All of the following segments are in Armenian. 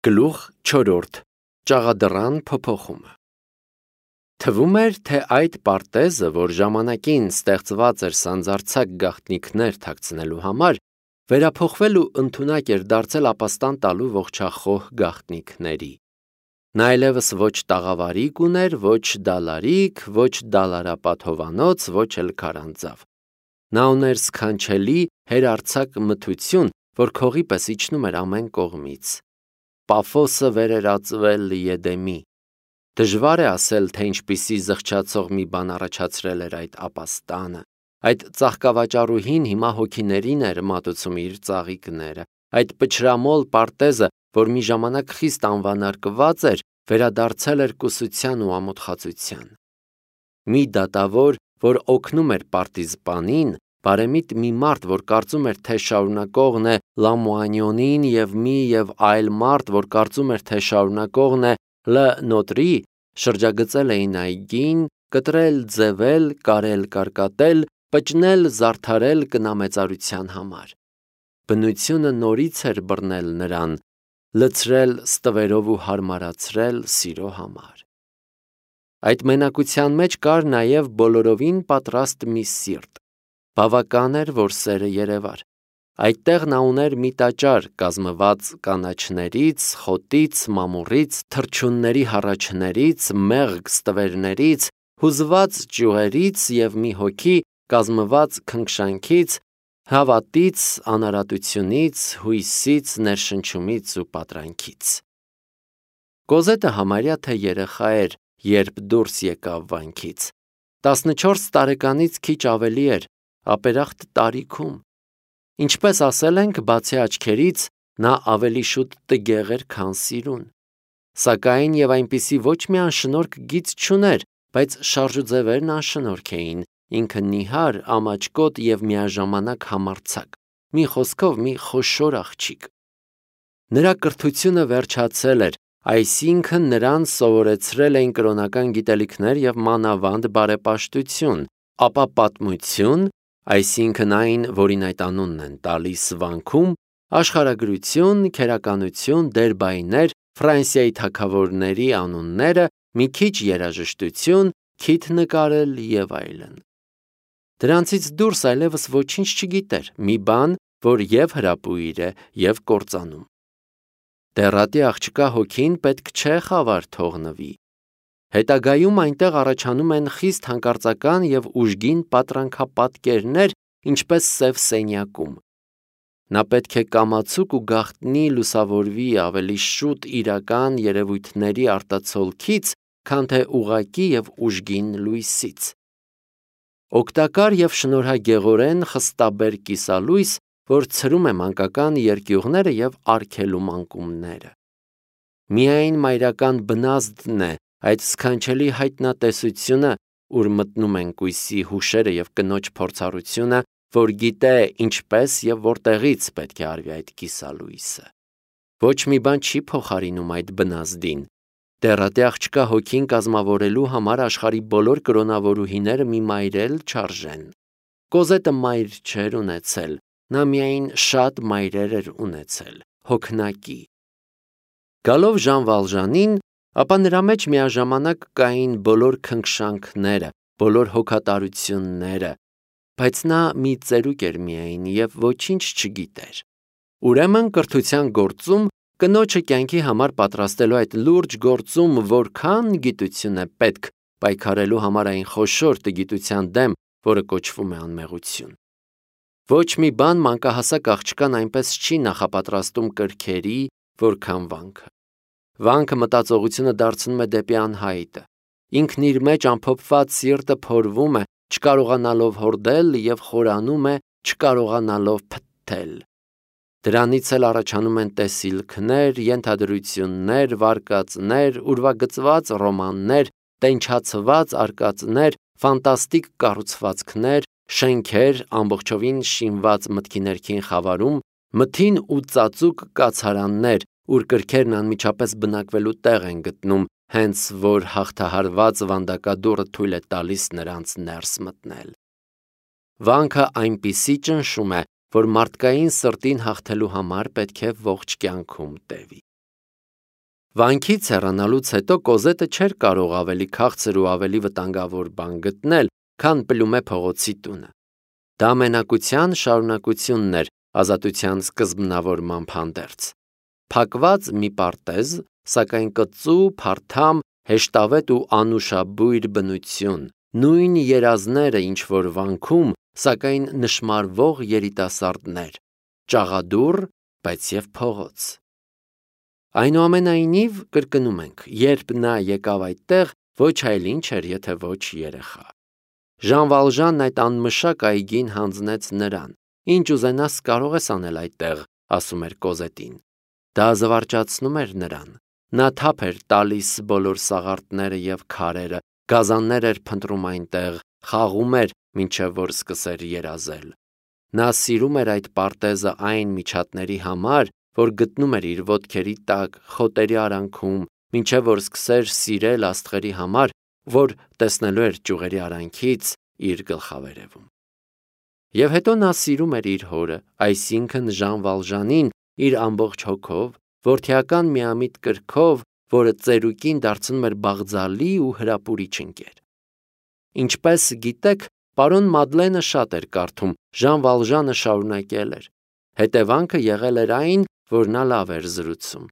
Գլուխ 4. Ճաղադրան փոփոխումը Թվում էր, թե այդ պարտեզը, որ ժամանակին ստեղծված էր սանձարձակ գաղտնիքներ թաքցնելու համար, վերափոխվել ու ընդունակ էր դարձել ապաստան տալու ողջախոհ գաղտնիքների։ Նա այլևս ոչ տաղավարիկ ուներ, ոչ դալարիկ, ոչ դալարապատ հովանոց, ոչ էլ քարանձավ։ Նա ուներ սքանչելի, հերարձակ մթություն, որ քողի պես իջնում էր ամեն կողմից։ Պաֆոսը վեր էր ածվել Եդեմի։ Դժվար է ասել, թե ինչպիսի զղջացող մի բան առաջացրել էր այդ ապաստանը։ Այդ ծաղկավաճառուհին հիմա հոգիներին էր մատուցում իր ծաղիկները։ Այդ պչրամոլ պարտեզը, որ մի ժամանակ խիստ անվանարկված էր, վերադարձել էր կուսության ու ամոթխածության։ Մի դատավոր, որ օգնում էր պարտիզպանին, բարեմիտ մի մարդ, որ կարծում էր, թե շարունակողն է Լամուանյոնին, եւ եւ այլ մարդ, որ կարծում էր, թե շարունակողն է Լ. Նոտրի, շրջագծել էին այգին, կտրել, ձևել, կարել, կարկատել, պճնել, զարդարել կնամեծարության համար։ Բնությունը նորից էր բռնել նրան, լցրել ստվերով ու հարմարացրել սիրո համար։ Այդ մենակության մեջ կար նաև բոլորովին պատրաստ մի սիրտ։ Բավական էր, որ սերը երևար։ Այդտեղ նա ուներ մի տաճար կազմված կանաչներից, խոտից, մամուռից, թռչունների հառաչներից, մեղգ ստվերներից, հուզված ճյուղերից և մի հոգի կազմված քնքշանքից, հավատից, անարատությունից, հույսից, ներշնչումից ու պատրանքից։ Կոզետը համարյա թե երեխա էր, երբ դուրս եկավ վանքից։ 14 տարեկանից քիչ ավելի էր, ապերախտ տարիքում։ Ինչպես ասել ենք, բացի աչքերից, նա ավելի շուտ տգեղ էր, քան սիրուն։ Սակայն և այնպիսի ոչ մի անշնորհք գիծ չուներ, բայց շարժուձևերն անշնորհք էին, ինքը նիհար, ամաչկոտ և միաժամանակ համարձակ, մի խոսքով մի խոշոր աղջիկ։ Նրա կրթությունը վերջացել էր, այսինքն նրան սովորեցրել էին կրոնական գիտելիքներ և մանավանդ բարեպաշտություն, ապա պատմություն, այսինքն այն, որին այդ անունն են տալիս վանքում, աշխարհագրություն, քերականություն, դերբայներ, Ֆրանսիայի թագավորների անունները, մի քիչ երաժշտություն, քիթ նկարել և այլն։ Դրանցից դուրս այլևս ոչինչ չգիտեր, մի բան, որ և հրապույր է, և կործանում։ Դեռատի աղջկա հոգին պետք չէ խավար թողնվի։ Հետագայում այնտեղ առաջանում են խիստ հանկարծական և ուժգին պատրանքապատկերներ, ինչպես Սև սենյակում։ Նա պետք է կամացուկ ու գաղտնի լուսավորվի ավելի շուտ իրական երևույթների արտացոլքից, քան թե ուղղակի և ուժգին լույսից։ Օգտակար և շնորհագեղորեն խստաբեր կիսալույս, որ ցրում է մանկական երկյուղները և արգելում անկումները։ Միայն մայրական բնազդն է այդ սքանչելի հայտնատեսությունը, ուր մտնում են կույսի հուշերը և կնոջ փորձառությունը, որ գիտե ինչպես և որտեղից պետք է արվի այդ կիսալույսը։ Ոչ մի բան չի փոխարինում այդ բնազդին։ Դեռատի աղջկա հոգին կազմավորելու համար աշխարհի բոլոր կրոնավորուհիները մի մայր էլ չարժեն։ Կոզետը մայր չէր ունեցել, նա միայն շատ մայրեր էր ունեցել, հոգնակի։ Գալով Ժան Վալժանին, ապա նրա մեջ միաժամանակ կային բոլոր քնքշանքները, բոլոր հոգատարությունները, բայց նա մի ծերուկ էր միայն և ոչինչ չգիտեր։ Ուրեմն կրթության գործում, կնոջը կյանքի համար պատրաստելու այդ լուրջ գործում որքան գիտություն է պետք պայքարելու համար այն խոշոր տգիտության դեմ, որը կոչվում է անմեղություն։ Ոչ մի բան մանկահասակ աղջկան այնպես չի նախապատրաստում կրքերի, որքան վանքը։ Վանքը մտածողությունը դարձնում է դեպի անհայտը։ Ինքն իր մեջ ամփոփված սիրտը փորվում է, չկարողանալով հորդել և խորանում է, չկարողանալով փթթել։ Դրանից էլ առաջանում են տեսիլքներ, ենթադրություններ, վարկածներ, ուրվագծված ռոմաններ, տենչացված արկածներ, ֆանտաստիկ կառուցվածքներ, շենքեր, ամբողջովին շինված մտքի ներքին խավարում, մթին ու ծածուկ կացարաններ, ուր կրքերն անմիջապես բնակվելու տեղ են գտնում, հենց որ հաղթահարված վանդակադուռը թույլ է տալիս նրանց ներս մտնել։ Վանքը այնպիսի ճնշում է, որ մարդկային սրտին հաղթելու համար պետք է ողջ կյանքում տևի։ Վանքից հեռանալուց հետո Կոզետը չէր կարող ավելի քաղցր ու ավելի վտանգավոր բան գտնել, քան Պլումե փողոցի տունը։ Դա մենակության շարունակությունն էր ազատության սկզբնավորման հանդերձ։ Փակված մի պարտեզ, սակայն կծու, փարթամ, հեշտավետ ու անուշաբույր բնություն, նույն երազները, ինչ որ վանքում, սակայն նշմարվող երիտասարդներ, ճաղադուռ, բայց և փողոց։ Այնուամենայնիվ, կրկնում ենք, երբ նա եկավ այդտեղ, ոչ այլ ինչ էր, եթե ոչ երեխա։ Ժան Վալժանն այդ անմշակ այգին հանձնեց նրան։ Ինչ ուզենաս կարող ես անել այդտեղ, ասում էր Կոզետին։ Դա զվարճացնում էր նրան։ Նա թափ էր տալիս բոլոր սաղարթները և քարերը, գազաններ էր փնտրում այնտեղ, խաղում էր, մինչև որ սկսեր երազել։ Նա սիրում էր այդ պարտեզը այն միջատների համար, որ գտնում էր իր ոտքերի տակ, խոտերի արանքում, մինչև որ սկսեր սիրել աստղերի համար, որ տեսնելու էր ճյուղերի արանքից իր գլխավերևում։ Եվ հետո նա սիրում էր իր հորը, այսինքն Ժան Վալժանին, իր ամբողջ հոգով, որդիական միամիտ կրքով, որը ծերուկին դարձնում էր բաղձալի ու հրապուրիչ ընկեր։ Ինչպես գիտեք, պարոն Մադլենը շատ էր կարդում, Ժան Վալժանը շարունակել էր։ Հետևանքը եղել էր այն, որ նա լավ էր զրուցում։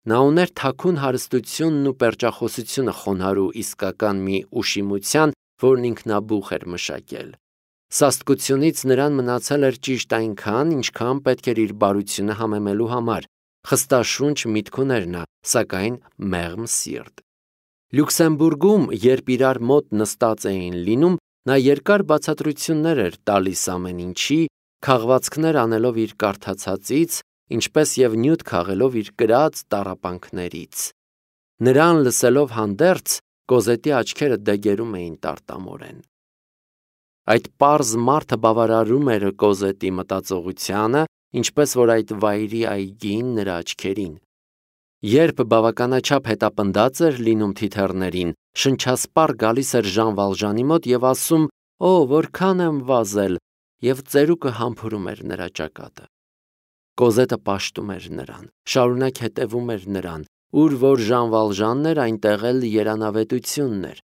Նա ուներ թաքուն հարստությունն ու պերճախոսությունը խոնարհ ու իսկական մի ուշիմության, որն ինքնաբուխ էր մշակել։ Սաստկությունից նրան մնացել էր ճիշտ այնքան, ինչքան պետք էր իր բարությունը համեմելու համար։ Խստաշունչ միտք ուներ նա, սակայն մեղմ սիրտ։ Լյուքսեմբուրգում, երբ իրար մոտ նստած էին լինում, նա երկար բացատրություններ էր տալիս ամեն ինչի, քաղվածքներ անելով իր կարդացածից, ինչպես և նյութ քաղելով իր կրած տառապանքներից։ Նրան լսելով հանդերձ, Կոզետի աչքերը դեգերում էին տարտամորեն։ Այդ պարզ մարդը բավարարում էր Կոզետի մտածողությանը, ինչպես որ այդ վայրի այգին նրա աչքերին։ Երբ բավականաչափ հետապնդած էր լինում թիթեռներին, շնչասպառ գալիս էր Ժան Վալժանի մոտ և ասում. «Օ, որքան եմ վազել», և ծերուկը համբուրում էր նրա ճակատը։ Կոզետը պաշտում էր նրան, շարունակ հետևում էր նրան, ուր որ Ժան Վալժանն էր, այնտեղ էլ երանավետությունն էր։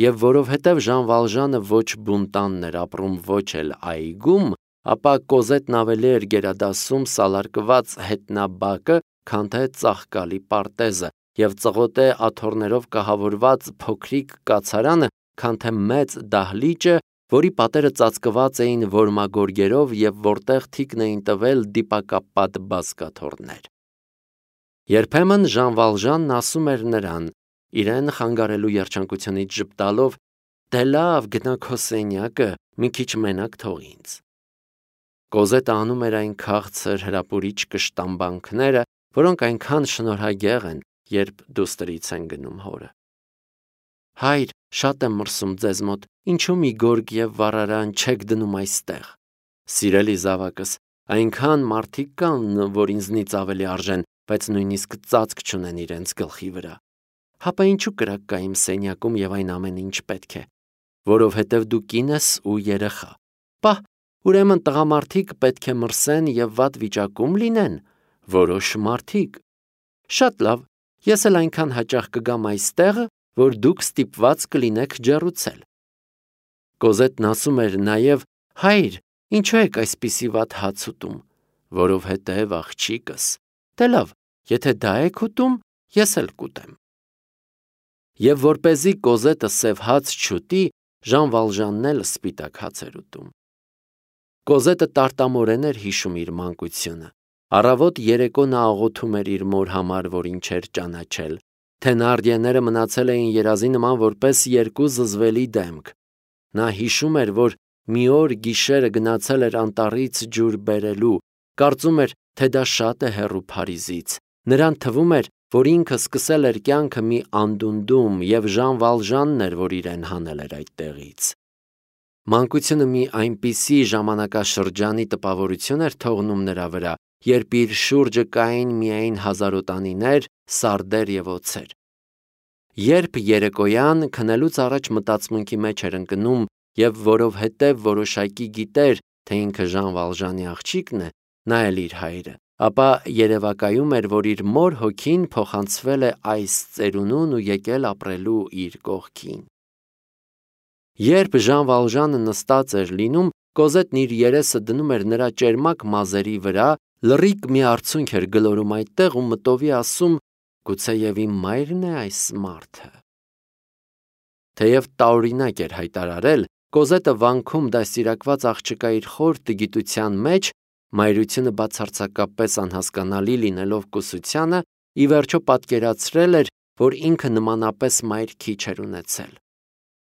Եվ որովհետև Ժան Վալժանը ոչ բունտանն էր ապրում, ոչ էլ այգում, ապա Կոզետն ավելի էր գերադասում սալարկված հետնաբակը, քան թե ծաղկալի պարտեզը, և ծղոտե աթոռներով կահավորված փոքրիկ կացարանը, քան թե մեծ դահլիճը, որի պատերը ծածկված էին որմագորգերով և որտեղ թիկն էին տվել դիպակապատ բազկաթոռներ։ Երբեմն Ժան Վալժանն ասում էր նրան, իրեն խանգարելու երջանկությունից ժպտալով. «Դե լավ, գնա քո սենյակը, մի քիչ մենակ թող ինձ»։ Կոզետը անում էր այն քաղցր հրապուրիչ կշտամբանքները, որոնք այնքան շնորհագեղ են, երբ դուստրից են գնում հորը։ Հայր, շատ եմ մրսում ձեզ մոտ, ինչու մի գորգ և վառարան չեք դնում այստեղ։ Սիրելի զավակս, այնքան մարդիկ կան, որ ինձնից ավելի արժեն, բայց նույնիսկ ծածկ չունեն իրենց գլխի վրա։ Հապա ինչու կրակ կա իմ սենյակում և այն ամենը, ինչ պետք է։ Որովհետև դու կին ես ու երեխա։ Պահ, ուրեմն տղամարդիկ պետք է մրսեն և վատ վիճակում լինեն։ Որոշ մարդիկ։ Շատ լավ, ես էլ այնքան հաճախ կգամ այստեղ, որ դուք ստիպված կլինեք ջեռուցել։ Կոզետն ասում էր նաև. հայր, ինչու եք այսպիսի վատ հաց ուտում։ Որովհետև աղջիկս։ Դե լավ, եթե դա եք ուտում, ես էլ կուտեմ։ Եվ որպեսզի Կոզետը սև հաց չուտի, Ժան Վալժանն էլ սպիտակ հաց էր ուտում։ Կոզետը տարտամորեն էր հիշում իր մանկությունը։ Առավոտ երեկո նա աղոթում էր իր մոր համար, որին չէր ճանաչել։ Թենարդիեները մնացել էին երազի նման որպես երկու զզվելի դեմք։ Նա հիշում էր, որ մի օր գիշերը գնացել էր անտառից ջուր բերելու, կարծում էր, թե դա շատ է հեռու Փարիզից։ Նրան թվում էր, որ ինքը սկսել էր կյանքը մի անդունդում, և Ժան Վալժանն էր, որ իրեն հանել էր այդտեղից։ Մանկությունը մի այնպիսի ժամանակաշրջանի տպավորություն էր թողնում նրա վրա, երբ իր շուրջը կային միայն հազարոտանիներ, սարդեր և օձեր։ Երբ երեկոյան քնելուց առաջ մտածմունքի մեջ էր ընկնում, և որովհետև որոշակի գիտեր, թե ինքը Ժան Վալժանի աղջիկն է, նա էլ իր հայրը, ապա երևակայում էր, որ իր մոր հոգին փոխանցվել է այս ծերունուն ու եկել ապրելու իր կողքին։ Երբ Ժան Վալժանը նստած էր լինում, Կոզետն իր երեսը դնում էր նրա ճերմակ մազերի վրա, լռիկ մի արցունք էր գլորում այդտեղ ու մտովի ասում. «Գուցեև իմ մայրն է այս մարդը»։ Թեև տարօրինակ էր հայտարարել, Կոզետը վանքում դաստիարակված աղջկա իր խոր տգիտության մեջ, մայրությունը բացարձակապես անհասկանալի լինելով կուսությանը, ի վերջո պատկերացրել էր, որ ինքը նմանապես մայր քիչ էր ունեցել։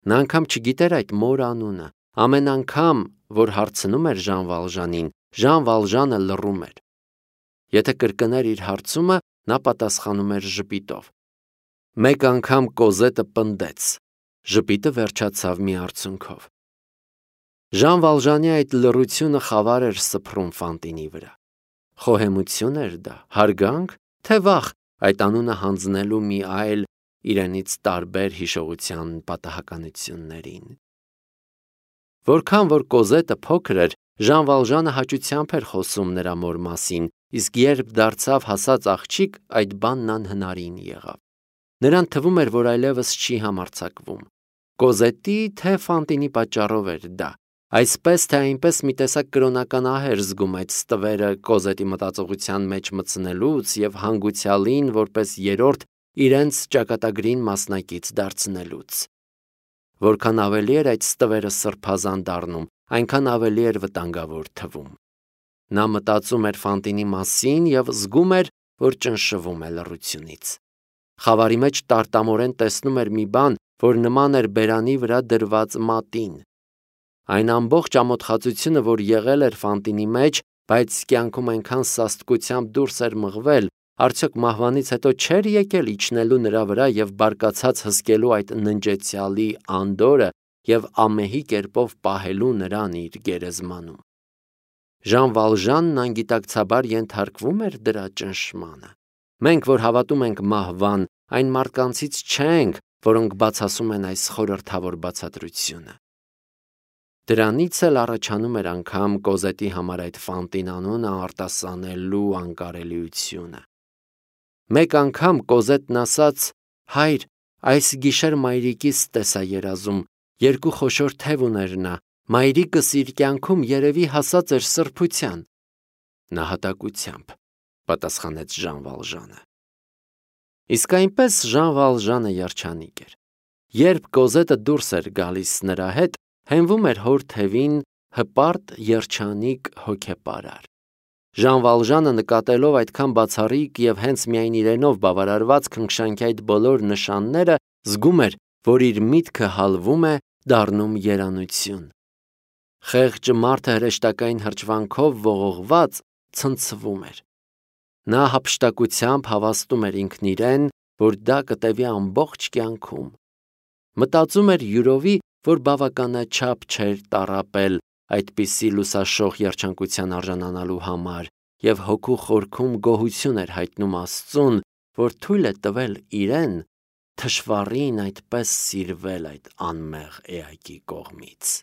Նա անգամ չգիտեր այդ մոր անունը, ամեն անգամ, որ հարցնում էր Ժան Վալժանին, Ժան Վալժանը լռում էր։ Եթե կրկներ իր հարցումը, նա պատասխանում էր ժպիտով։ Մեկ անգամ Կոզետը պնդեց, ժպիտը վերջացավ մի արցունքով։ Ժան Վալժանի այդ լռությունը խավար էր սփռում Ֆանտինի վրա։ Խոհեմություն էր դա, հարգանք, թե վախ այդ անունը հանձնելու մի այլ իրենից տարբեր հիշողության պատահականություններին։ Որքան որ Կոզետը փոքր էր, Ժան Վալժանը հաճությամբ էր խոսում նրա մոր մասին, իսկ երբ դարձավ հասած աղջիկ, այդ բանն անհնարին եղավ։ Նրան թվում էր, որ այլևս չի համարձակվում։ Կոզետի թե Ֆանտինի պատճառով էր դա։ Այսպես թե այնպես մի տեսակ կրոնական ահ էր զգում այդ ստվերը Կոզետի մտածողության մեջ մտցնելուց և հանգուցյալին որպես երրորդ իրենց ճակատագրին մասնակից դարձնելուց։ Որքան ավելի էր այդ ստվերը սրբազան դառնում, այնքան ավելի էր վտանգավոր թվում։ Նա մտածում էր Ֆանտինի մասին և զգում էր, որ ճնշվում է լռությունից։ Խավարի մեջ տարտամորեն տեսնում էր մի բան, որ նման էր բերանի վրա դրված մատին։ Այն ամբողջ ամոթխածությունը, որ եղել էր Ֆանտինի մեջ, բայց կյանքում այնքան սաստկությամբ դուրս էր մղվել, արդյոք մահվանից հետո չէր եկել իջնելու նրա վրա և բարկացած հսկելու այդ ննջեցյալի անդորրը և ամեհի կերպով պահելու նրան իր գերեզմանում։ Ժան Վալժանն անգիտակցաբար ենթարկվում էր դրա ճնշմանը։ Մենք, որ հավատում ենք մահվան, այն մարդկանցից չենք, որոնք բացասում են այս խորհրդավոր բացատրությունը։ Դրանից էլ առաջանում էր անգամ Կոզետի համար այդ Ֆանտին անունը արտասանելու անկարելիությունը։ Մեկ անգամ Կոզետն ասաց. «Հայր, այս գիշեր մայրիկիս տեսա երազում, երկու խոշոր թև ուներ նա, մայրիկս իր կյանքում երևի հասած էր սրբության»։ Նահատակությամբ, պատասխանեց Ժան Վալժանը։ Իսկ այնպես Ժան Վալժանը երջանիկ էր։ Երբ Կոզետը դուրս էր գալիս նրա հետ, հենվում էր հոր թևին հպարտ երջանիկ հոգեպարար։ Ժան Վալժանը նկատելով այդքան բացառիկ և հենց միայն իրենով բավարարված քնքշանքի այդ բոլոր նշանները, զգում էր, որ իր միտքը հալվում է, դառնում երանություն։ Խեղճ մարդը հրեշտակային հրճվանքով ողողված ցնցվում էր։ Նա հափշտակությամբ հավաստում էր ինքն իրեն, որ դա կտևի ամբողջ կյանքում։ Մտածում էր յուրովի, որ բավականաչափ չէր տառապել այդպիսի լուսաշող երջանկության արժանանալու համար և հոգու խորքում գոհություն էր հայտնում Աստծուն, որ թույլ է տվել իրեն թշվառին այդպես սիրվել այդ անմեղ էակի կողմից։